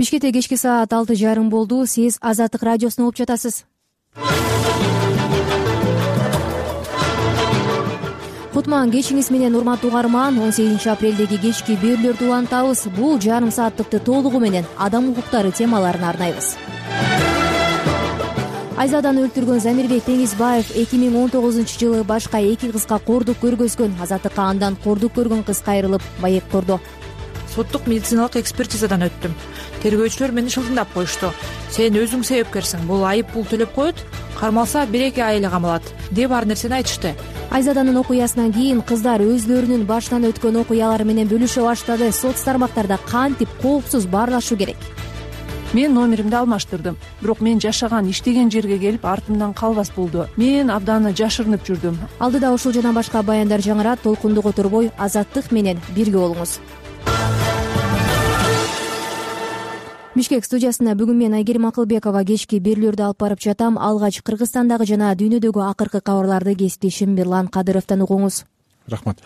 Бишкекте кечки саат 6:30 болду. Сиз Азаттык радиосун угуп жатасыз. Кутман кечиңиз менен, урматтуу угарман. 18 апрелдеги кечки берүүлөрдү улантабыз. Бул жарым сааттыкты толугу менен адам укуктары темаларына арнайбыз. Айзаданы өлтүргөн Замирбек Теңизбаев 2019-жылы башка 2 кызга кордук көргөзгөн. Азаттыкка андан кордук көргөн кыз кайрылып маектурду. Соттук медициналык экспертизадан өттүм. Тергөөчүлөр мени шылтыңдап коюшту. Сен өзүң себепкерсиң, бул айып пул төлөп коет, кармалса 1-2 ай эле камалат деп ар нерсени айтышты. Айзаданын окуясынан кийин кыздар өзлөрүнүн башынан өткөн окуялары менен бөлүшө баштады. Соц тармактарда кантип коопсуз баарлашуу керек? Мен номеримди алмаштырдым. Бирок мен жашаган, иштеген жерге келип артымдан калбас болду. Мен абдан жашырынып жүрдүм. Алдыда ушул жана башка баяндар жаңырат. Толкунду которбой Азаттык менен бирге болуңуз. Бишкек студиясында бүгүн мен Айгерим Акылбекова кечки берүүлөрдү алып барып жатам. Алгач Кыргызстандагы жана дүйнөдөгү акыркы кабарларды кесиптешим Мирлан Кадыровдон угуңуз. Рахмат.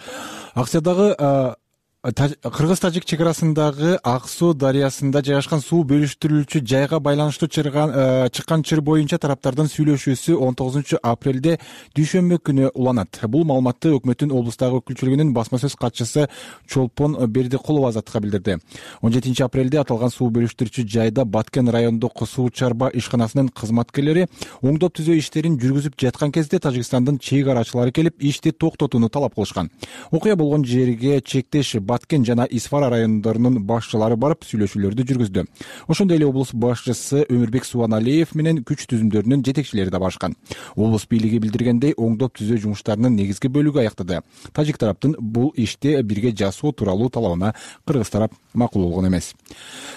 Акциядагы Кыргыз-Тажик чек арасындагы Ак суу дарыясында жайгашкан суу бөлүштүрүүчү жайга байланыштуу чыккан чыр боюнча тараптардын сүйлөшүүсү 19 апрелде дүйшөмбү күнү уланат. Бул маалыматты өкмөттүн облустагы өкүлчүлүгүнүн басма сөз катчысы Чолпон Бердикулова Азаттыкка билдирди. 17 апрелде аталган суу бөлүштүрүүчү жайда Баткен райондук суу чарба ишканасынын кызматкерлери оңдоп түзөө иштерин жүргүзүп жаткан кезде Тажикстандын чек арачылары келип ишти токтотууну талап кылышкан. Окуя болгон жерге чектеш Баткен жана Исфара райондорунун башчылары барып сүйлөшүүлөрдү жүргүздү. Ошондой эле облус башчысы Өмүрбек Субаналиев менен күч түзүмдөрүнүн жетекчилери да барышкан. Облус бийлиги билдиргендей, оңдоп түзөө жумуштарынын негизги бөлүгү аяктады. Тажик тараптын бул ишти бирге жасоо тууралуу талабына кыргыз тарап макул болгон эмес.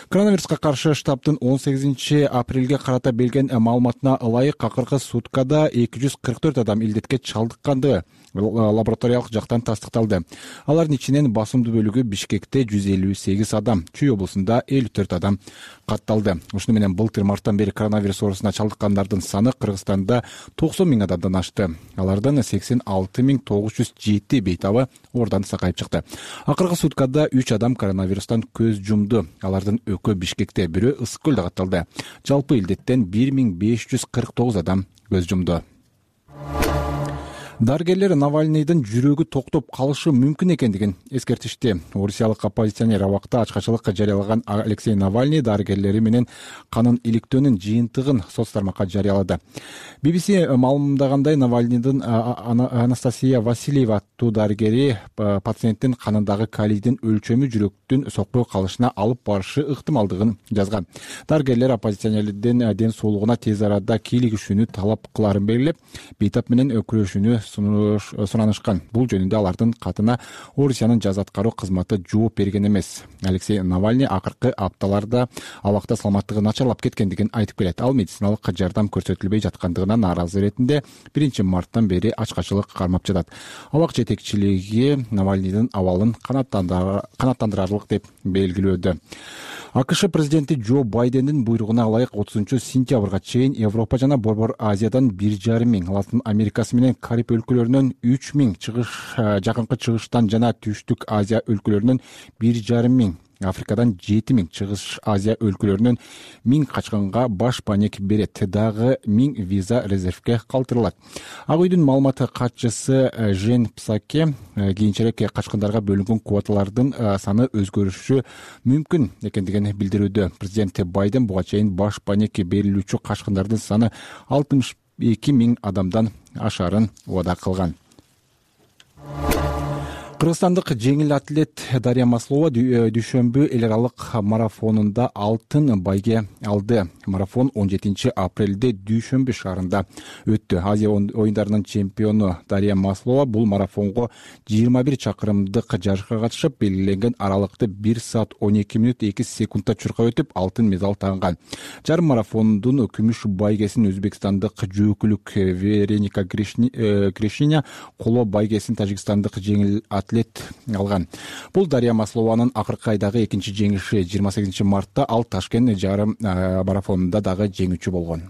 Коронавируска каршы штабтын 18 апрелге карата берген маалыматына ылайык акыркы суткада 244 адам илдетке чалдыккандыгы лабораториялык жактан тастыкталды. Алардын ичинен басымдуу бөлүгү Бишкекте 158 адам, Чүй облусунда 54 адам катталды. Ушуну менен былтыр марттан бери коронавирус оорусуна чалдыккандардын саны Кыргызстанда 90 000 адамдан ашты. Алардан 86 907 бейтабы ордан сакайып чыкты. Акыркы суткада 3 адам коронавирустан көз жумду. Алардын экөө Бишкекте, бирөө Ысык көлдө катталды. Жалпы илдеттен 1549 адам көз жумду. Дарыгерлер Навальныйдын жүрөгү токтоп калышы мүмкүн экендигин эскертишти. Орусиялык оппозиционер абакта ачкачылыкка жарыялаган Алексей Навальный дарыгерлери менен канын иликтөөнүн жыйынтыгын соц тармакка жарыялады. BBC маалымдагандай, Навальныйдын Анастасия Васильева аттуу дарыгери пациенттин канындагы калийдин өлчөмү жүрөктүн сокпой калышына алып барышы ыктымалдыгын жазган. Дарыгерлер оппозиционердин ден соолугуна тез арада кийлигишүүнү талап кыларын белгилеп, бейтап менен күрөшүүнү суранышкан. Бул жөнүндө алардын катына Орусиянын жаза аткаруу кызматы жооп берген эмес. Алексей Навальный акыркы апталарда абакта саламаттыгы начарлап кеткендигин айтып келет. Ал медициналык жардам көрсөтүлбөй жаткандыгына нааразы иретинде 1 марттан бери ачкачылык кармап жатат. Абак жетекчилиги Навальныйдын абалын канааттандырарлык деп белгилөөдө. АКШ президенти Джо Байдендин буйругуна ылайык 30 сентябрга чейин Европа жана Борбор Азиядан 1,5 миң, Латын Америкасы менен Кариб өлкөлөрүнөн 3 миң, жакынкы чыгыштан жана Түштүк Азия өлкөлөрүнөн 1,5 миң, Африкадан 7 миң, Чыгыш Азия өлкөлөрүнөн 1000 качкынга баш паник берет. Дагы 1000 виза резервге калтырылат. Ак үйдүн маалыматы катчысы Жен Псаке кийинчерээк качкындарга бөлүнгөн квоталардын саны өзгөрүшү мүмкүн экендигин билдирүүдө. Президент Байден буга чейин баш паник берилүүчү качкындардын саны 62 000 адамдан ашарын убада кылган. Кыргызстандык жеңил атлет Дарья Маслова дүйшөмбү эл аралык марафонунда алтын байге алды. Марафон 17 апрелде Дүйшөмбү шаарында өттү. Азия оюндарынын чемпиону Дарья Маслова бул марафонго 21 чакырымдык жарышка катышып, белгиленген аралыкты 1 саат 12 мүнөт 2 секундта чуркап өтүп, алтын медаль тагынган. Жарым марафондун күмүш байгесин өзбекстандык жөөкүлүк Вереника Гришиня, коло байгесин тажикстандык жеңил атлет алган. Бул Дарья Маслованын акыркы айдагы экинчи жеңиши. 28 мартта ал Ташкент жарым марафонунда дагы жеңүүчү болгон.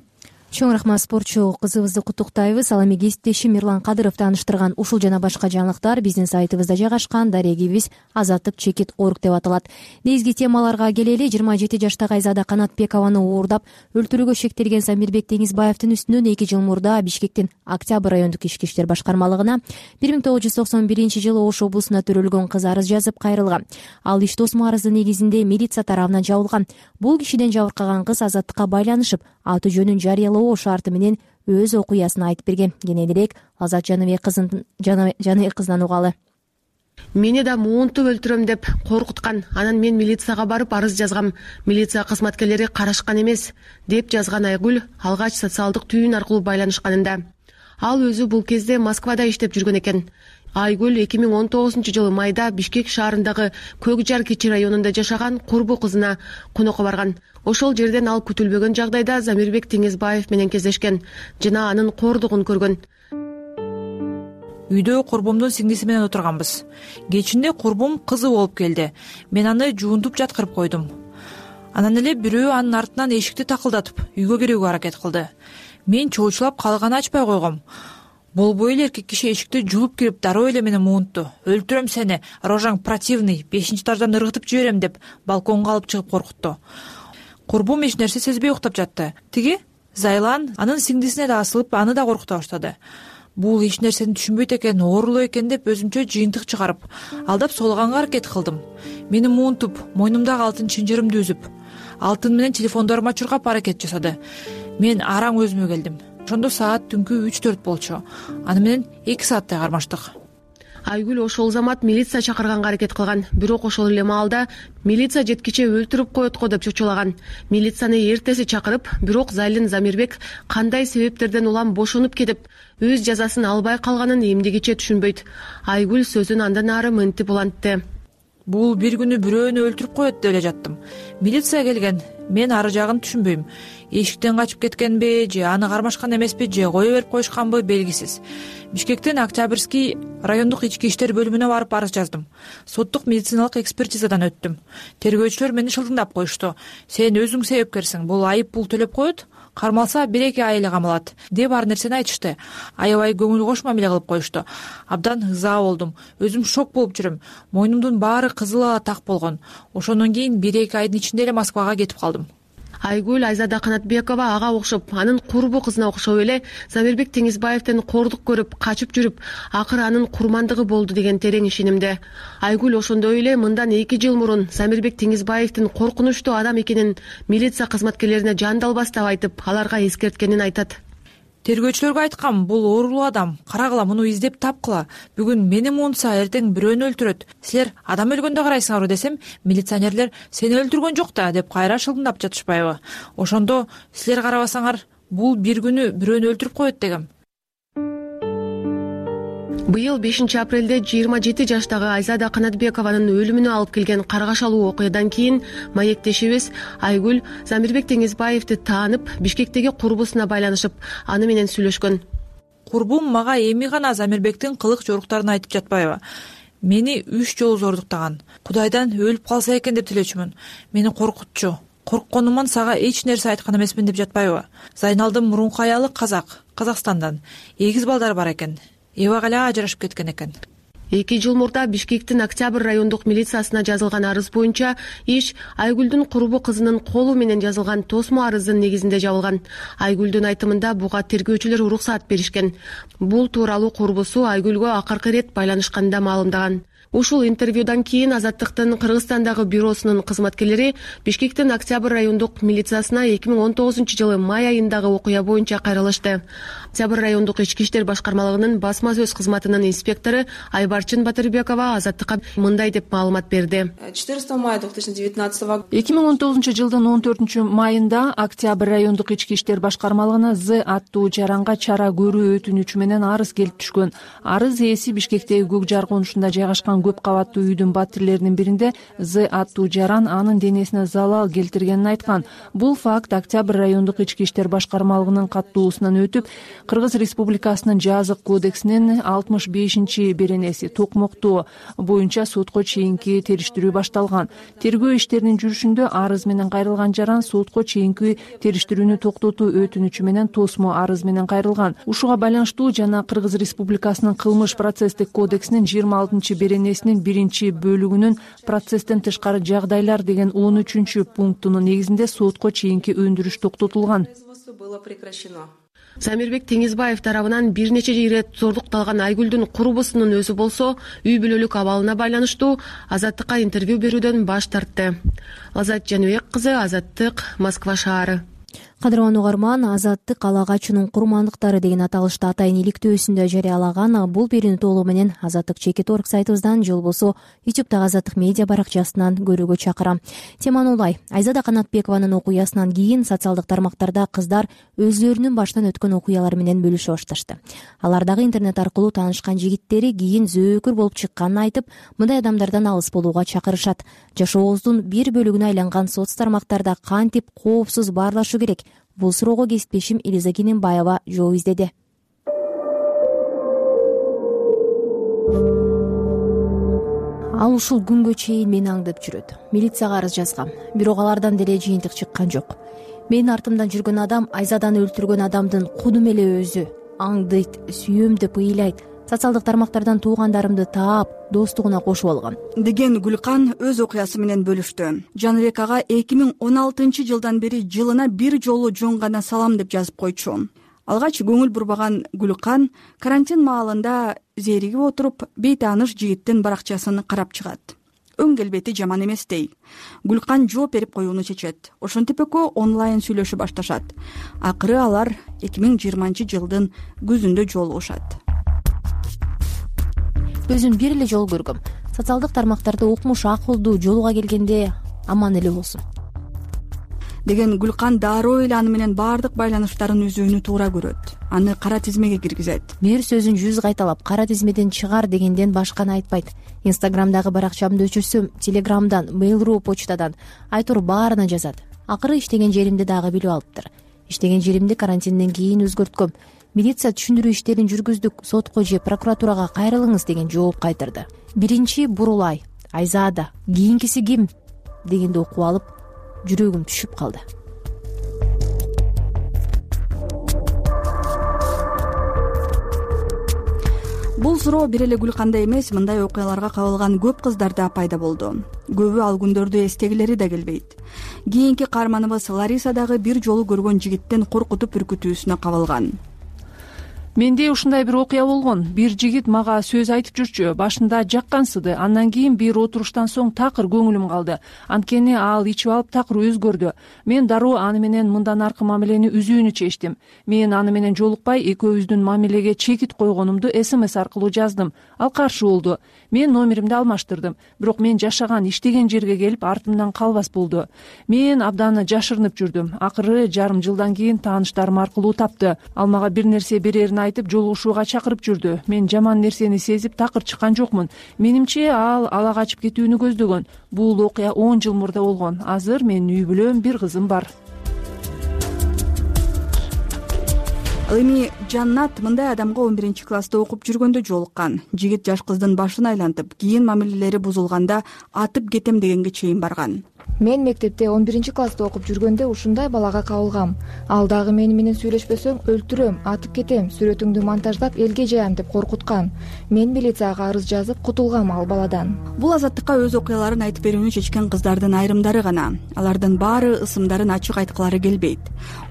Чоң рахмат, спортчу кызыбызды куттуктайбыз. Ал эми кесиптешим Мирлан Кадыров тааныштырган ушул жана башка жаңылыктар биздин сайтыбызда жайгашкан. Дарегибиз azattik.org деп аталат. Негизги темаларга келели. 27 жаштагы Айзада Канатбекованы уурдап өлтүрүүгө шектелген Замирбек Теңизбаевдин үстүнөн 2 жыл мурда Бишкектин Октябрь райондук ички иштер башкармалыгына 1991 Ош облусуна төрөлгөн кыз арыз жазып кайрылган. Ал иш тосмо арыздын негизинде милиция тарабынан жабылган. Бул кишиден жабыркаган кыз Азаттыкка байланышып, аты жөнүн жарыялоо шарты менен өз окуясын айтып берген. Кененирээк Азат Жаныбек кызынан угалы. Мени да муунтуп өлтүрөм деп коркуткан. Анан мен милицияга барып арыз жазгам. Милиция кызматкерлери карашкан эмес, деп жазган Айгүл алгач социалдык түйүн аркылуу байланышканында. Ал өзү бул кезде Москвада иштеп жүргөн экен. Айгүл 2019 майда Бишкек шаарындагы Көк Жар Кичи районунда жашаган курбу кызына конокко барган. Ошол жерден ал күтүлбөгөн жагдайда Замирбек Теңизбаев менен кездешкен жана анын кордугун көргөн. Үйдө курбумдун сиңдиси менен отурганбыз. Кечинде курбум кызы болуп келди. Мен аны жуунтуп жаткырып койдум. Анан эле бирөө анын артынан эшикти такылдатып үйгө кирүүгө аракет кылды. Мен чоочулап калганы ачпай койгом. Болбой эле эркек киши эшикти жулуп кирип дароо эле мени муунтту. Өлтүрөм сени, рожаң противный, 5-этаждан ыргытып жиберем деп балконго алып чыгып коркутту. Курбум эч нерсе сезбей уктап жатты. Тиги Зайлан анын сиңдисине да асылып, аны да коркута баштады. Бул эч нерсени түшүнбөйт экен, оорулуу экен деп өзүмчө жыйынтык чыгарып, алдап соолаганга аракет кылдым. Мени муунтуп, мойнумдагы алтын чынжырымды үзүп, алтын менен телефондорума чуркап аракет жасады. Мен араң өзүмө келдим. Ошондо саат түнкү 3-4 болчу. Аны менен 2 сааттай кармаштык. Айгүл ошол замат милиция чакырганга аракет кылган. Бирок ошол эле маалда милиция жеткиче өлтүрүп коет го деп чочулаган. Милицияны эртеси чакырып, бирок Зайлин Замирбек кандай себептерден улам бошонуп кетип, өз жазасын албай калганын эмдигиче түшүнбөйт. Айгүл сөзүн андан ары мынтип улантты. Бул бир күнү бирөөнү өлтүрүп коет деп эле жаттым. Милиция келген. Мен ары жагын түшүнбөйм. Эшиктен качып кеткенби, же аны кармашкан эмеспи, же кое берип коюшканбы белгисиз. Бишкектин Октябрьский райондук ички иштер бөлүмүнө барып арыз жаздым. Соттук медициналык экспертизадан өттүм. Тергөөчүлөр мени шылтыңдап коюшту. Сен өзүң себепкерсиң. Бул айып пул төлөп коет, кармалса 1-2 ай эле камалат деп ар нерсени айтышты. Аябай көңүл кош мамиле кылып коюшту. Абдан ыза болдум. Өзүм шок болуп жүрөм. Мойнумдун баары кызыл ала так болгон. Ошондон кийин 1-2 айдын ичинде эле Москвага кетип калдым. Айгүл Айзада Канатбекова ага окшоп, анын курбу кызына окшоп эле Замирбек Теңизбаевден кордук көрүп, качып жүрүп, акыры анын курмандыгы болду деген терең ишенимде. Айгүл ошондой эле мындан 2 жыл мурун Замирбек Теңизбаевдин коркунучтуу адам экенин милиция кызматкерлерине жандалбастап айтып, аларга эскерткенин айтат. Тергөөчүлөргө айткам, бул оорулуу адам, карагыла, муну издеп тапкыла. Бүгүн мени муунтса, эртең бирөөнү өлтүрөт. Силер адам өлгөндө карайсыңарбы десем, милиционерлер сени өлтүргөн жок да деп кайра шылдыңдап жатышпайбы? Ошондо силер карабасаңар, бул бир күнү бирөөнү өлтүрүп коет дегем. Быйыл 5 апрелде 27 жаштагы Айзада Канатбекованын өлүмүнө алып келген каргашалуу окуядан кийин маектешибиз Айгүл Замирбек Теңизбаевди таанып, Бишкектеги курбусуна байланышып, аны менен сүйлөшкөн. Курбум мага эми гана Замирбектин кылык жоруктарын айтып жатпайбы? Мени 3 жолу зордуктаган. Кудайдан өлүп калса экен деп тилечүмүн. Мени коркутчу. Коркконуман сага эч нерсе айткан эмесмин деп жатпайбы? Зайналдын мурунку аялы Казакстандан. 8 балдары бар экен. Эбак эле ажырашып кеткен экен. 2 жыл мурда Бишкектин Октябрь райондук милициясына жазылган арыз боюнча иш Айгүлдүн курбу кызынын колу менен жазылган тосмо арыздын негизинде жабылган. Айгүлдүн айтымында буга тергөөчүлөр уруксаат беришкен. Бул тууралуу курбусу Айгүлгө акыркы ирет байланышканда маалымдаган. Ушул интервьюдан кийин Азаттыктын Кыргызстандагы бюросунун кызматкерлери Бишкектин Октябрь райондук милициясына 2019 май айындагы окуя боюнча кайрылышты. Октябрь райондук ички иштер башкармалыгынын басма сөз кызматынын инспектору Айбарчын Батырбекова Азаттыкка мындай деп маалымат берди. 14 мая 2019 жылдын 14 майында Октябрь райондук ички иштер башкармалыгына З аттуу жаранга чара көрүү өтүнүчү менен арыз келип түшкөн. Арыз ээси Бишкектеги Көк Жар конушунда жайгашкан көп кабаттуу үйдүн батирлеринин биринде З аттуу жаран анын денесине залал келтиргенин айткан. Бул факт Октябрь райондук ички иштер башкармалыгынын каттоосунан өтүп, Кыргыз Республикасынын жазык кодексинин 65-беренеси токмоктоо боюнча сотко чейинки териштирүү башталган. Тергөө иштеринин жүрүшүндө арыз менен кайрылган жаран сотко чейинки териштирүүнү токтотуу өтүнүчү менен тосмо арыз менен кайрылган. Ушуга байланыштуу жана Кыргыз Республикасынын кылмыш процесстик кодексинин 26-беренесинин 1-бөлүгүнүн процесстен тышкары жагдайлар деген 13-пунктунун негизинде сотко чейинки өндүрүш токтотулган. Самирбек Теңизбаев тарабынан бир нече ирет зордукталган Айгүлдүн курбусунун өзү болсо үй бүлөлүк абалына байланыштуу Азаттыкка интервью берүүдөн баш тартты. Азат Жаныбек кызы, Азаттык, Москва шаары. Кадырман угарман, Азаттык Алагачунун курмандыктары деген аталышты атайын иликтөөсүндө жарыялаган. Бул берүүнү толугу менен Азаттык.org сайтыбыздан же болбосо YouTube'дагы Азаттык медиа баракчасынан көрүүгө чакырам. Теманы улай. Айзада Канатбекованын окуясынан кийин социалдык тармактарда кыздар өзлөрүнүн баштан өткөн окуялары менен бөлүшө башташты. Алар дагы интернет аркылуу таанышкан жигиттери кийин зөөкүр болуп чыкканын айтып, мындай адамдардан алыс болууга чакырышат. Жашообуздун бир бөлүгүнө айланган соц тармактарда кантип коопсуз баарлашу керек? Бул суроого кесиптешим Элиза Кененбаева жооп издеди. Ал ушул күнгө чейин мени аңдып жүрөт. Милицияга арыз жазгам, бирок алардан деле жыйынтык чыккан жок. Менин артымдан жүргөн адам Айзаданы өлтүргөн адамдын кудум эле өзү. Аңдыйт, сүйөм деп ыйлайт. Социалдык тармактардан туугандарымды таап, достугуна кошуп алган деген Гүлкан өз окуясы менен бөлүштү. Жаныбек ага 2016-жылдан бери жылына бир жолу жон гана салам деп жазып койчу. Алгач көңүл бурбаган Гүлкан карантин маалында зеригип отуруп, бейтааныш жигиттин баракчасын карап чыгат. Өң келбети жаман эмес дей. Гүлкан жооп берип коюуну чечет. Ошентип экөө онлайн сүйлөшүп башташат. Акыры алар 2020-жылдын күзүндө жолугушат. Өзүм бир эле жол көргөм. Социалдык тармактарда укмуш акылдуу жолуга келгенде аман эле болсун деген Гүлкан дароо эле аны менен баардык байланыштарын үзүүнү туура көрөт. Аны кара тизмеге киргизет. Мэр сөзүн 100 кайталап кара тизмеден чыгар дегенден башканы айтпайт. Инстаграмдагы баракчамды өчүрсөм, Телеграмдан, Mail.ru почтадан айтор баарына жазат. Акыры иштеген жеримди дагы билип алыптыр. Иштеген жеримди карантинден кийин өзгөрткөм. Милиция түшүндүрүү иштерин жүргүздүк, сотко же прокуратурага кайрылыңыз деген жооп кайтарды. Биринчи Бурулай, Айзада, кийинкиси ким дегенди окуп алып, жүрөгүм түшүп калды. Бул суроо бир эле Гүлканда эмес, мындай окуяларга кабылган көп кыздарда пайда болду. Көбү ал күндөрдү эстегилери да келбейт. Кийинки каарманыбыз Лариса дагы бир жолу көргөн жигиттин коркутуп үркүтүүсүнө кабылган. Менде ушундай бир окуя болгон. Бир жигит мага сөз айтып жүрчү. Башында жаккансыды. Андан кийин бир отуруштан соң такыр көңүлүм калды. Анткени ал ичип алып такыр өзгөрдү. Мен дароо аны менен мындан аркы мамилени үзүүнү чечтим. Мен аны менен жолукпай, экөөбүздүн мамилеге чекит койгонумду СМС аркылуу жаздым. Ал каршы болду. Мен номеримди алмаштырдым. Бирок мен жашаган, иштеген жерге келип артымдан калбас болду. Мен абдан жашырынып жүрдүм. Акыры жарым жылдан кийин тааныштарым аркылуу тапты. Ал мага бир нерсе берерин айтып жолугушууга чакырып жүрдү. Мен жаман нерсени сезип такыр чыккан жокмун. Менимче ал ала качып кетүүнү көздөгөн. Бул окуя 10 жыл мурда болгон. Азыр менин үй бүлөм, бир кызым бар. Ал эми Жаннат мындай адамга 11-класста окуп жүргөндө жолуккан. Жигит жаш кыздын башын айлантып, кийин мамилелери бузулганда атып кетем дегенге чейин барган. Мен мектепте 11-класста окуп жүргөндө ушундай балага кабылгам. Ал дагы мени менен сүйлөшпөсөң өлтүрөм, атып кетем, сүрөтүңдү монтаждап элге жаям деп коркуткан. Мен милицияга арыз жазып кутулгам ал баладан. Бул Азаттыкка өз окуяларын айтып берүүнү чечкен кыздардын айрымдары гана. Алардын баары ысымдарын ачык айткылары келбейт.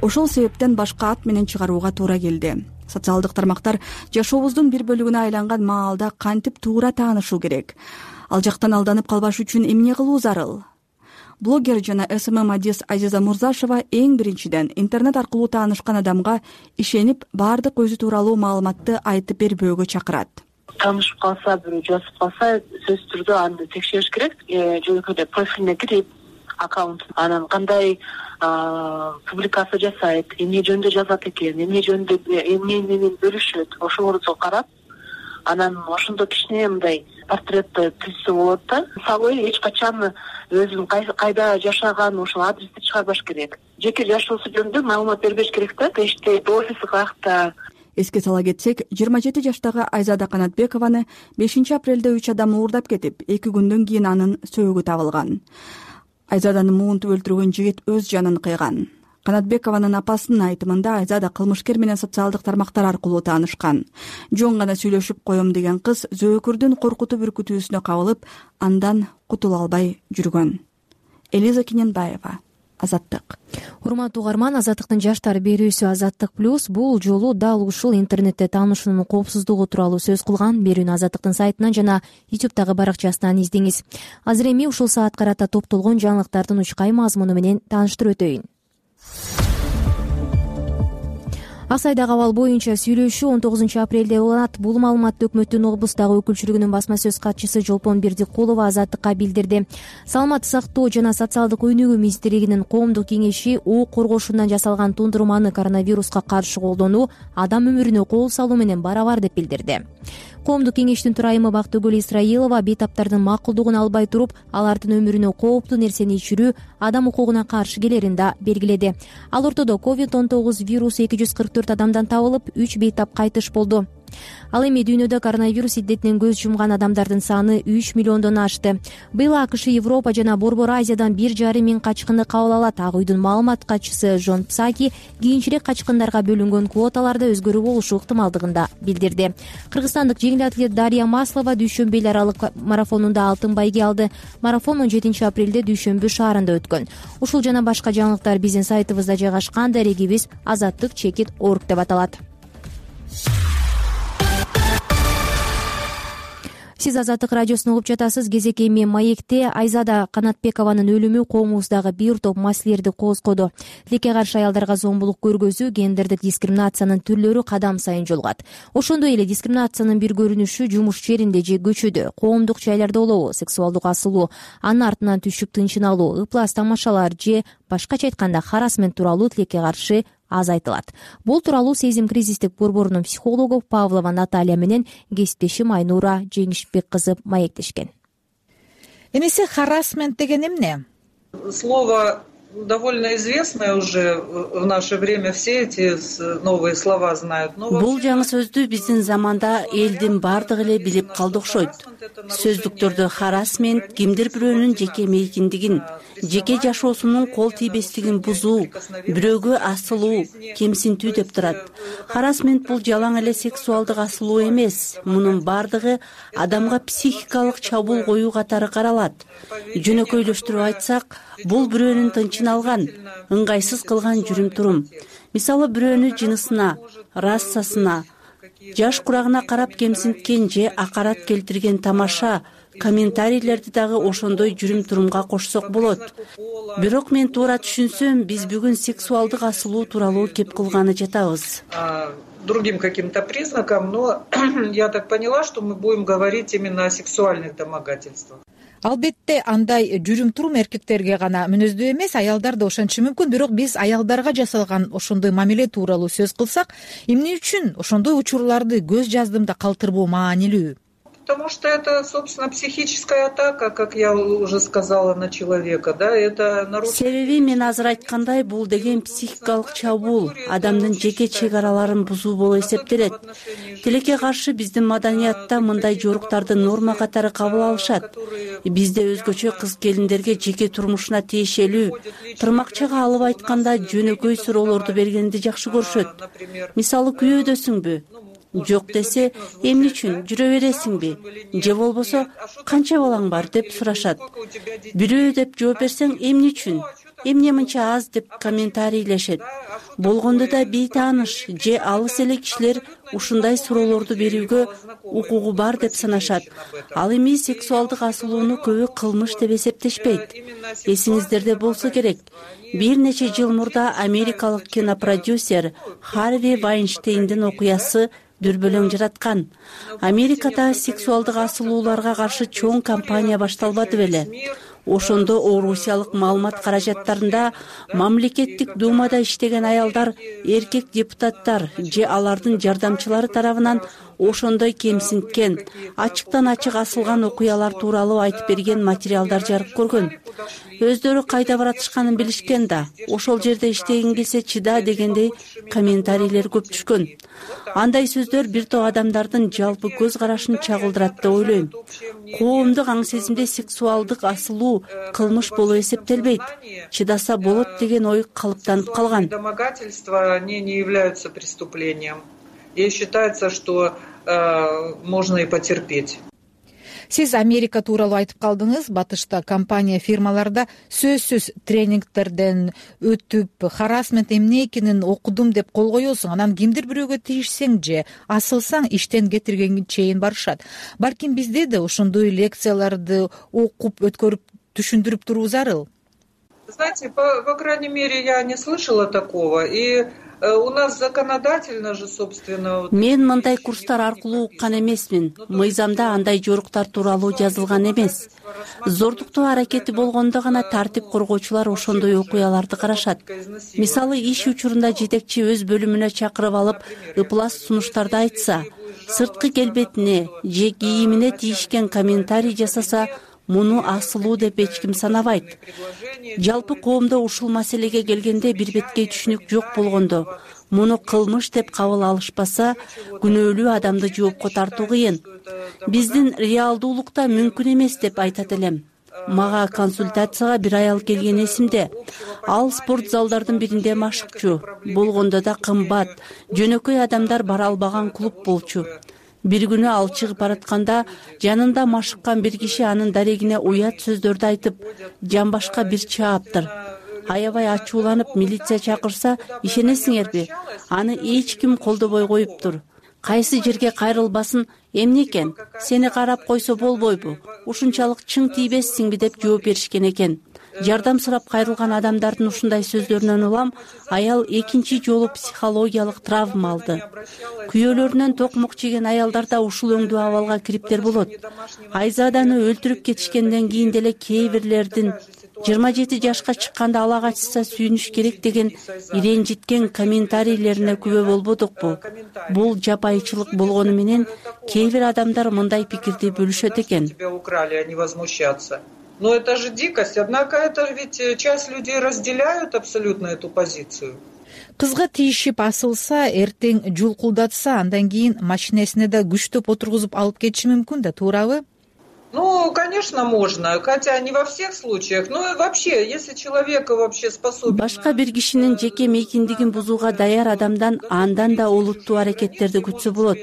Ошол себептен башка ат менен чыгарууга туура келди. Социалдык тармактар жашообуздун бир бөлүгүнө айланган маалда кантип туура таанышуу керек? Ал жактан алданып калбаш үчүн эмне кылуу зарыл? Блогер жана СММ адис Азиза Мурзашева эң биринчиден интернет аркылуу таанышкан адамга ишенип, баардык өзү тууралуу маалыматты айтып бербөөгө чакырат. Таанышып калса, бирөө жазып калса, сөзсүз түрдө аны текшериш керек. Жөнөкөй профилине кирип, аккаунт анан кандай публикация жасайт, эмне жөнүндө жазат экен, эмне жөнүндө эмне менен бөлүшөт, ошолорду карап, анан ошондо кичине мындай портретти түзсө болот да. Мисалы эч качан өзүнүн кайда жашаган ошол адрести чыгарбаш керек. Жеке жашоосу жөнүндө маалымат бербеш керек да. Иште офиси каякта. Эске сала кетсек, 27 жаштагы Айзада Канатбекованы 5 апрелде 3 адам уурдап кетип, 2 күндөн кийин анын сөөгү табылган. Айзаданы муунтуп өлтүргөн жигит өз жанын кыйган. Канатбекованын апасынын айтымында Айзада кылмышкер менен социалдык тармактар аркылуу таанышкан. Жөн гана сүйлөшүп коем деген кыз зөөкүрдүн коркутуп үркүтүүсүнө кабылып, андан кутула албай жүргөн. Элиза Кененбаева, Азаттык. Урматтуу угарман, Азаттыктын жаштар берүүсү Азаттык плюс бул жолу дал ушул интернетте таанышуунун коопсуздугу тууралуу сөз кылган. Берүүнү Азаттыктын сайтынан жана YouTube'дагы баракчасынан издеңиз. Азыр эми ушул саат карата топтолгон жаңылыктардын учкай мазмуну менен тааныштырып өтөйүн. Ак сайдагы абал боюнча сүйлөшүү 19 апрелде уланат. Бул маалыматты өкмөттүн облустагы өкүлчүлүгүнүн басма сөз катчысы Жолпон Бердикулова Азаттыкка билдирди. Саламаттык сактоо жана социалдык өнүгүү министрлигинин коомдук кеңеши ок коргошундан жасалган тундурманы коронавируска каршы колдонуу адам өмүрүнө кол салуу менен барабар деп билдирди. Коомдук кеңештин төрайымы Бактыгүл Исраилова бейтаптардын макулдугун албай туруп, алардын өмүрүнө кооптуу нерсени ичирүү адам укугуна каршы келерин да белгиледи. Ал ортодо COVID-19 вирусу 244 адамдан табылып, 3 бейтап кайтыш болду. Ал эми дүйнөдө коронавирус илдетинен көз жумган адамдардын саны 3 миллиондон ашты. Быйыл АКШ, Европа жана Борбор Азиядан 1,5 миң качкынды кабыл алат. Ак үйдүн маалымат катчысы Жон Псаки кийинчерээк качкындарга бөлүнгөн квоталарда өзгөрүү болушу ыктымалдыгын да билдирди. Кыргызстандык жеңил атлет Дарья Маслова дүйшөмбү эл аралык марафонунда алтын байге алды. Марафон 17 апрелде Дүйшөмбү шаарында өткөн. Ушул жана башка жаңылыктар биздин сайтыбызда жайгашкан. Дарегибиз azattik.org деп аталат. Сиз Азаттык радиосун угуп жатасыз. Кезек эми маекте. Айзада Канатбекованын өлүмү коомубуздагы бир топ маселелерди козгоду. Тилекке каршы аялдарга зомбулук көргөзүү, гендердик дискриминациянын түрлөрү кадам сайын жолугат. Ошондой эле дискриминациянын бир көрүнүшү жумуш жеринде же көчөдө, коомдук жайларда болобу, сексуалдык асылуу, анын артынан түшүп тынчын алуу, ыплас тамашалар же башкача айтканда харассмент тууралуу тилекке каршы аз айтылат. Бул тууралуу Сезим кризистик борборунун психологу Павлова Наталья менен кесиптешим Айнура Жеңишбек кызы маектешкен. Эмесе харассмент деген эмне? Слово довольно известное уже в наше время, все эти новые слова знают. Бул жаңы сөздү биздин заманда элдин бардыгы эле билип калды окшойт. Сөздүктөрдө харассмент кимдир бирөөнүн жеке мейкиндигин, жеке жашоосунун кол тийбестигин бузуу, бирөөгө асылуу, кемсинтүү деп турат. Харассмент бул жалаң эле сексуалдык асылуу эмес. Мунун бардыгы адамга психикалык чабуул коюу катары каралат. Жөнөкөйлөштүрүп айтсак, бул бирөөнүн тынчын алган, ыңгайсыз кылган жүрүм-турум. Мисалы, бирөөнү жынысына, расасына, жаш курагына карап кемсинткен же акарат келтирген тамаша, комментарийлерди дагы ошондой жүрүм-турумга кошсок болот. Бирок мен туура түшүнсөм, биз бүгүн сексуалдык асылуу тууралуу кеп кылганы жатабыз. Другим каким-то признакам, но я так поняла, что мы будем говорить именно о сексуальных домогательствах. Албетте андай жүрүм-турум эркектерге гана мүнөздүү эмес, аялдар да ошончу мүмкүн. Бирок биз аялдарга жасалган ошондой мамиле тууралуу сөз кылсак, эмне үчүн ошондой учурларды көз жаздымда калтырбоо маанилүү? Потому что это, собственно, психическая атака, как я уже сказала, на человека, да, это нарушение. Себеби мен азыр айткандай, бул деген психикалык чабуул, адамдын жеке чек араларын бузуу болуп эсептелет. Тилекке каршы биздин маданиятта мындай жоруктарды норма катары кабыл алышат. Бизде өзгөчө кыз келиндерге жеке турмушуна тиешелүү, тырмакчага алып айтканда жөнөкөй суроолорду бергенди жакшы көрүшөт. Мисалы, күйөөдөсүңбү? Жок десе, эмне үчүн жүрө бересиңби? Же болбосо, канча балаң бар деп сурашат. Бирөө деп жооп берсең, эмне үчүн? Эмне мынча аз деп комментарийлешет. Болгондо да бейтааныш же алыс эле кишилер ушундай суроолорду берүүгө укугу бар деп санашат. Ал эми сексуалдык асылууну көбү кылмыш деп эсептешпейт. Эсиңиздерде болсо керек, бир нече жыл мурда америкалык кинопродюсер Харви Вайнштейндин окуясы дүрбөлөң жараткан. Америкада сексуалдык асылууларга каршы чоң кампания башталбады беле. Ошондо орусиялык маалымат каражаттарында мамлекеттик думада иштеген аялдар, эркек депутаттар же алардын жардамчылары тарабынан ошондой кемсинткен, ачыктан ачык асылган окуялар тууралуу айтып берген материалдар жарык көргөн. Өздөрү кайда баратышканын билишкен да, ошол жерде иштегиң келсе чыда дегендей комментарийлер көп түшкөн. Андай сөздөр бир топ адамдардын жалпы көз карашын чагылдырат деп ойлойм. Коомдук аң сезимде сексуалдык асылуу кылмыш болуп эсептелбейт. Чыдаса болот деген ой калыптанып калган. Домогательства они не являются преступлением. И считается, что можно и потерпеть. Сиз Америка тууралуу айтып калдыңыз. Батышта компания фирмаларда сөзсүз тренингтерден өтүп, харассмент эмне экенин окудум деп кол коесуң. Анан кимдир бирөөгө тийишсең же асылсаң иштен кетиргенге чейин барышат. Балким бизде да ошондой лекцияларды окуп, өткөрүп, түшүндүрүп туруу зарыл. Знаете, по крайней мере, я не слышала такого. И у нас законодательно же, собственно... Мен мындай курстар аркылуу уккан эмесмин. Мыйзамда андай жоруктар тууралуу жазылган эмес. Зордуктоо аракети болгондо гана тартип коргоочулар ошондой окуяларды карашат. Мисалы, иш учурунда жетекчи өз бөлүмүнө чакырып алып, ыплас сунуштарды айтса, сырткы келбетине же кийимине тийишкен комментарий жасаса, муну асылуу деп эч ким санабайт. Жалпы коомдо ушул маселеге келгенде бир беткей түшүнүк жок болгондо, муну кылмыш деп кабыл алышпаса, күнөөлүү адамды жоопко тартуу кыйын. Биздин реалдуулукта мүмкүн эмес деп айтат элем. Мага консультацияга бир аял келген эсимде. Ал спорт залдардын биринде машыкчу, болгондо да кымбат, жөнөкөй адамдар бара албаган клуб болчу. Бир күнү ал чыгып баратканда жанында машыккан бир киши анын дарегине уят сөздөрдү айтып, жамбашка бир чааптыр. Аябай ачууланып милиция чакырса, ишенесиңерби? Аны эч ким колдобой коюптур. Кайсы жерге кайрылбасын, эмне экен? Сени карап койсо болбойбу? Ушунчалык чың тийбессиңби деп жооп беришкен экен. Жардам сурап кайрылган адамдардын ушундай сөздөрүнөн улам аял экинчи жолу психологиялык травма алды. Күйөөлөрүнөн токмок жеген аялдарда ушул өңдүү абалга кириптер болот. Айзаданы өлтүрүп кетишкенден кийин деле кээ бирлердин 27 жашка чыкканда ала качса сүйүнүш керек деген иренжиткен комментарийлерине күбө болбодукпу? Бул жапайычылык болгону менен кээ бир адамдар мындай пикирди бөлүшөт экен. Но это же дикость. Однако это ведь часть людей разделяют абсолютно эту позицию. Кызга тийишип асылса, эртең жулкулдатса, андан кийин машинесине да күчтөп отургузуп алып кетиши мүмкүн да, туурабы? Ну, конечно, можно, хотя не во всех случаях. Но вообще, если человек вообще способен... Башка бир кишинин жеке мейкиндигин бузууга даяр адамдан андан да олуттуу аракеттерди күтсө болот.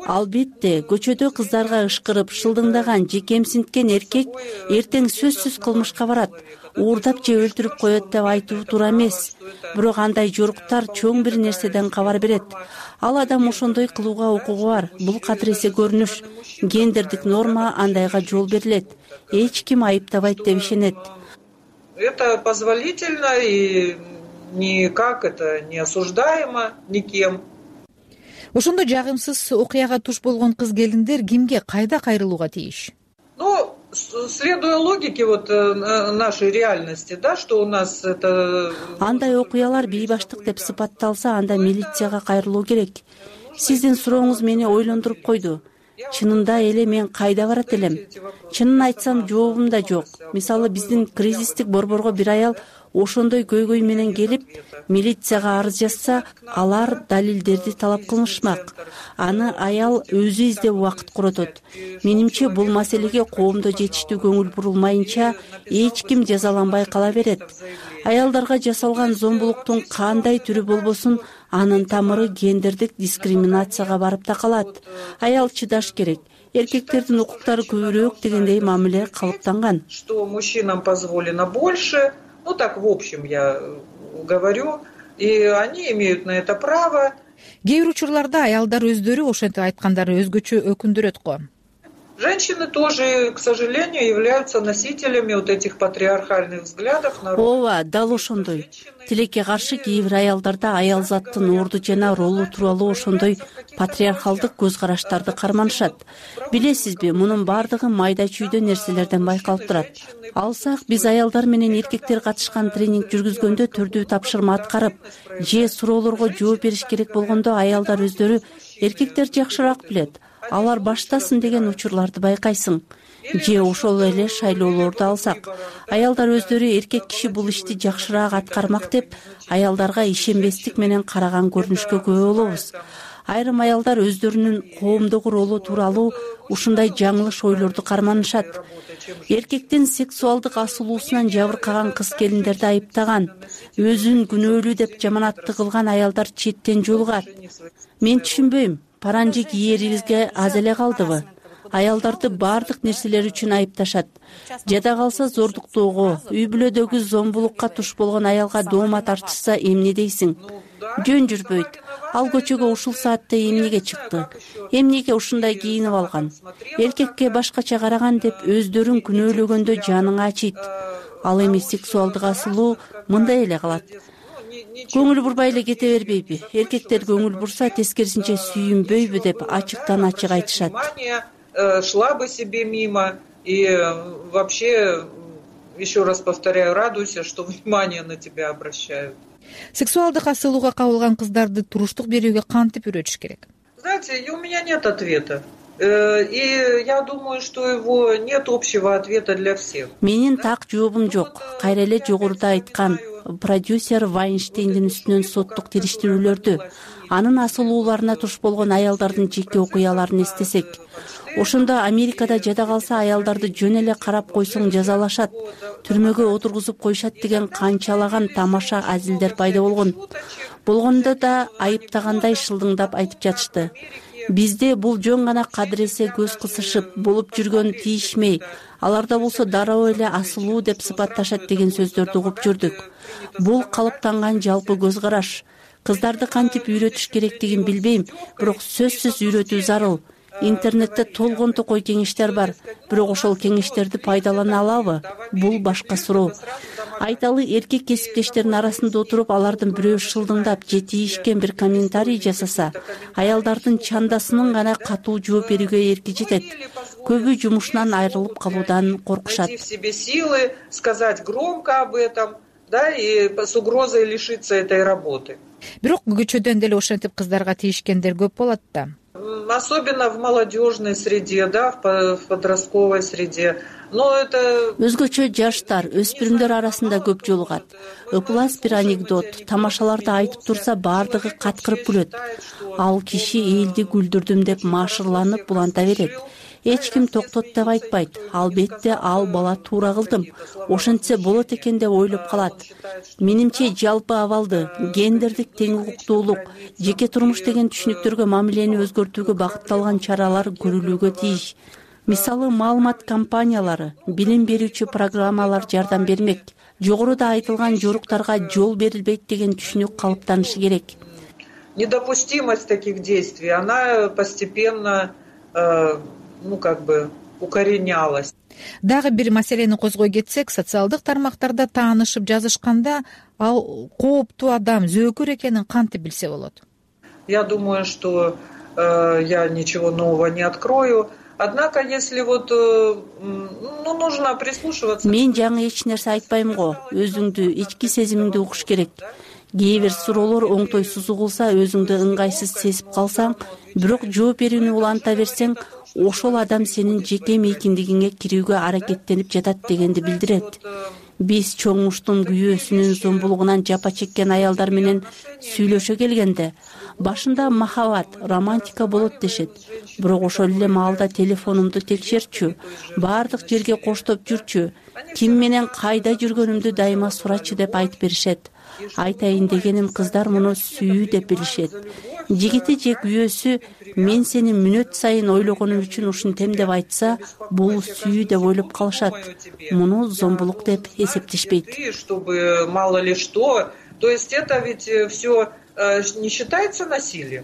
Албетте, көчөдө кыздарга ышкырып, шылдыңдаган же кемсинткен эркек эртең сөзсүз кылмышка барат. Уурдап же өлтүрүп коет деп айтуу туура эмес. Бирок андай жоруктар чоң бир нерседен кабар берет. Ал адам ошондой кылууга укугу бар. Бул кадыресе көрүнүш. Гендердик норма андайга жол берилет. Эч ким айыптабайт деп ишенет. Это позволительно и никак это не осуждаемо никем. Ошондо жагымсыз окуяга туш болгон кыз келиндер кимге, кайда кайрылууга тийиш? Ну, следуя логике нашей реальности, да, что у нас это... Андай окуялар бейбаштык деп сыпатталса, анда милицияга кайрылуу керек. Сиздин сурооңуз мени ойлондуруп койду. Чынында эле мен кайда барат элем? Чынын айтсам, жообум да жок. Мисалы, биздин кризистик борборго бир аял ошондой көйгөй менен келип, милицияга арыз жазса, алар далилдерди талап кылышмак. Аны аял өзү издеп убакыт коротот. Менимче, бул маселеге коомдо жетиштүү көңүл бурулмайынча эч ким жазаланбай кала берет. Аялдарга жасалган зомбулуктун кандай түрү болбосун, анын тамыры гендердик дискриминацияга барып такалат. Аял чыдаш керек. Эркектердин укуктары көбүрөөк дегендей мамиле калыптанган. Что мужчинам позволено больше, ну так в общем я говорю, и они имеют на это право. Кээ бир учурларда аялдар өздөрү ошентип айткандары өзгөчө өкүндүрөт го. Женщины тоже, к сожалению, являются носителями вот этих патриархальных взглядов на роль. Ооба, дал ошондой. Тилекке каршы кээ бир аялдарда аял заттын орду жана ролу тууралуу ошондой патриархалдык көз караштарды карманышат. Билесизби, мунун бардыгы майда чүйдө нерселерден байкалып турат. Алсак, биз аялдар менен эркектер катышкан тренинг жүргүзгөндө түрдүү тапшырма аткарып, же суроолорго жооп бериш керек болгондо аялдар өздөрү эркектер жакшыраак билет, алар баштасын деген учурларды байкайсың. Же ошол эле шайлоолорду алсак, аялдар өздөрү эркек киши бул ишти жакшыраак аткармак деп аялдарга ишенбестик менен караган көрүнүшкө күбө болобуз. Айрым аялдар өздөрүнүн коомдогу ролу тууралуу ушундай жаңылыш ойлорду карманышат. Эркектин сексуалдык асылуусунан жабыркаган кыз-келиндерди айыптаган, өзүн күнөөлүү деп жаманатты кылган аялдар четтен жолугат. Мен түшүнбөйм, паранжи кийерибизге аз эле калдыбы? Аялдарды баардык нерселер үчүн айыпташат. Жада калса зордуктоого, үй бүлөдөгү зомбулукка туш болгон аялга доомат артышса эмне дейсиң? Жөн жүрбөйт. Ал көчөгө ушул саатта эмнеге чыкты? Эмнеге ушундай кийинип алган? Эркекке башкача караган деп өздөрүн күнөөлөгөндө жаның ачыйт. Ал эми сексуалдык асылуу мындай эле калат. Көңүл бурбай эле кете бербейби? Эркектер көңүл бурса тескерисинче сүйүнбөйбү деп ачыктан ачык айтышат. Шла бы себе мимо и вообще, еще раз повторяю, радуйся, что внимание на тебя обращают. Сексуалдык асылууга кабылган кыздарды туруштук берүүгө кантип үйрөтүш керек? Знаете, у меня нет ответа. И я думаю, что его нет общего ответа для всех. Менин так жообум жок. Кайра эле жогоруда айткан продюсер Вайнштейндин үстүнөн соттук териштирүүлөрдү, анын асылууларына туш болгон аялдардын жеке окуяларын эстесек, ошондо Америкада жада калса аялдарды жөн эле карап койсоң жазалашат, түрмөгө отургузуп коюшат деген канчалаган тамаша азилдер пайда болгон. Болгондо да айыптагандай шылдыңдап айтып жатышты. Бизде бул жөн гана кадыресе көз кысышып болуп жүргөн тийишмей, аларда болсо дароо эле асылуу деп сыпатташат деген сөздөрдү угуп жүрдүк. Бул калыптанган жалпы көз караш. Кыздарды кантип үйрөтүш керектигин билбейм, бирок сөзсүз үйрөтүү зарыл. Интернетте толгон токой кеңештер бар, бирок ошол кеңештерди пайдалана алабы? Бул башка суроо. Айталы, эркек кесиптештердин арасында отуруп, алардын бирөө шылдыңдап же тийишкен бир комментарий жасаса, аялдардын чандасынын гана катуу жооп берүүгө эрки жетет. Көбү жумушунан айрылып калуудан коркушат. В себе силы сказать громко об этом, да, и с угрозой лишиться этой работы. Бирок көчөдөн деле ошентип кыздарга тийишкендер көп болот да. Особенно в молодежной среде, да, в подростковой среде. Но это өзгөчө жаштар, өспүрүмдөр арасында көп жолугат. Ыплас бир анекдот, тамашаларды айтып турса баардыгы каткырып күлөт. Ал киши элди күлдүрдүм деп машырланып буланта берет. Эч ким токтот деп айтпайт. Албетте ал бала туура кылдым, ошентсе болот экен деп ойлоп калат. Менимче жалпы абалды, гендердик тең укуктуулук, жеке турмуш деген түшүнүктөргө мамилени өзгөртүүгө багытталган чаралар көрүлүүгө тийиш. Мисалы, маалымат компаниялары, билим берүүчү программалар жардам бермек. Жогоруда айтылган жоруктарга жол берилбейт деген түшүнүк калыптанышы керек. Недопустимость таких действий, она постепенно укоренялась. Дагы бир маселени козгой кетсек, социалдык тармактарда таанышып жазышканда ал кооптуу адам, зөөкүр экенин кантип билсе болот? Я думаю, что я ничего нового не открою. Однако, если нужно прислушиваться. Мен жаңы эч нерсе айтпайм го. Өзүңдү, ички сезимиңди укуш керек. Кээ бир суроолор оңтойсуз угулса, өзүңдү ыңгайсыз сезип калсаң, бирок жооп берүүнү уланта берсең, ошол адам сенин жеке мейкиндигиңе кирүүгө аракеттенип жатат дегенди билдирет. Биз чоңуштун күйөөсүнүн зомбулугунан жапа чеккен аялдар менен сүйлөшө келгенде, башында махабат, романтика болот дешет. Бирок ошол эле маалда телефонумду текшерчү, баардык жерге коштоп жүрчү, ким менен кайда жүргөнүмдү дайыма сурачы деп айтып беришет. Айтайын дегеним, кыздар муну сүйүү деп билишет. Жигити же күйөөсү мен сени мүнөт сайын ойлогонум үчүн ушинтем деп айтса, бул сүйүү деп ойлоп калышат. Муну зомбулук деп эсептешпейт. Чтобы мало ли что, то есть это ведь все не считается насилием.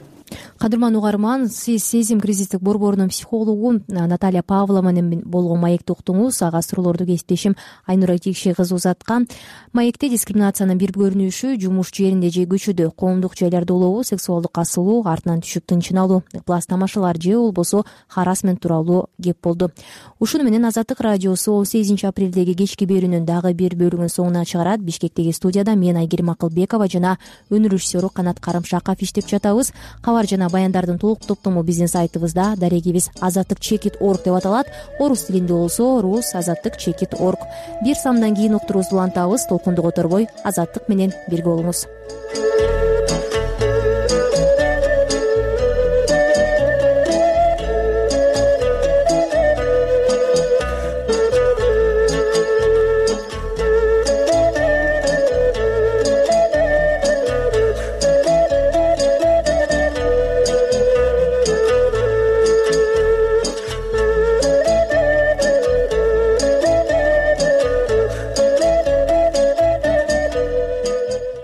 Кадырман угарман, сиз сезим кризистик борборунун психологу Наталья Павлова менен болгон маекти уктуңуз. Ага суроолорду кесиптешим Айнура Тикши кызы узаткан. Маекте дискриминациянын бир көрүнүшү жумуш жеринде же көчөдө, коомдук жайларда улоо сексуалдык асылуу, артынан түшүп тынчыналуу, пласт тамашалар же болбосо харассмент тууралуу кеп болду. Ушуну менен Азаттык радиосу 18 апрелдеги кечки берүүнүн дагы бир бөлүгүн соңуна чыгарат. Бишкектеги студияда мен Айгерим Акылбекова жана өнөр режиссеру Канат Карымшаков иштеп жатабыз. Кабар жана баяндардын толук топтому биздин сайтыбызда. Дарегибиз azattik.org деп аталат. Орус тилинде болсо rus.azattik.org. Бир самдан кийин уктуруубузду улантабыз. Толкунду которбой Азаттык менен бирге болуңуз.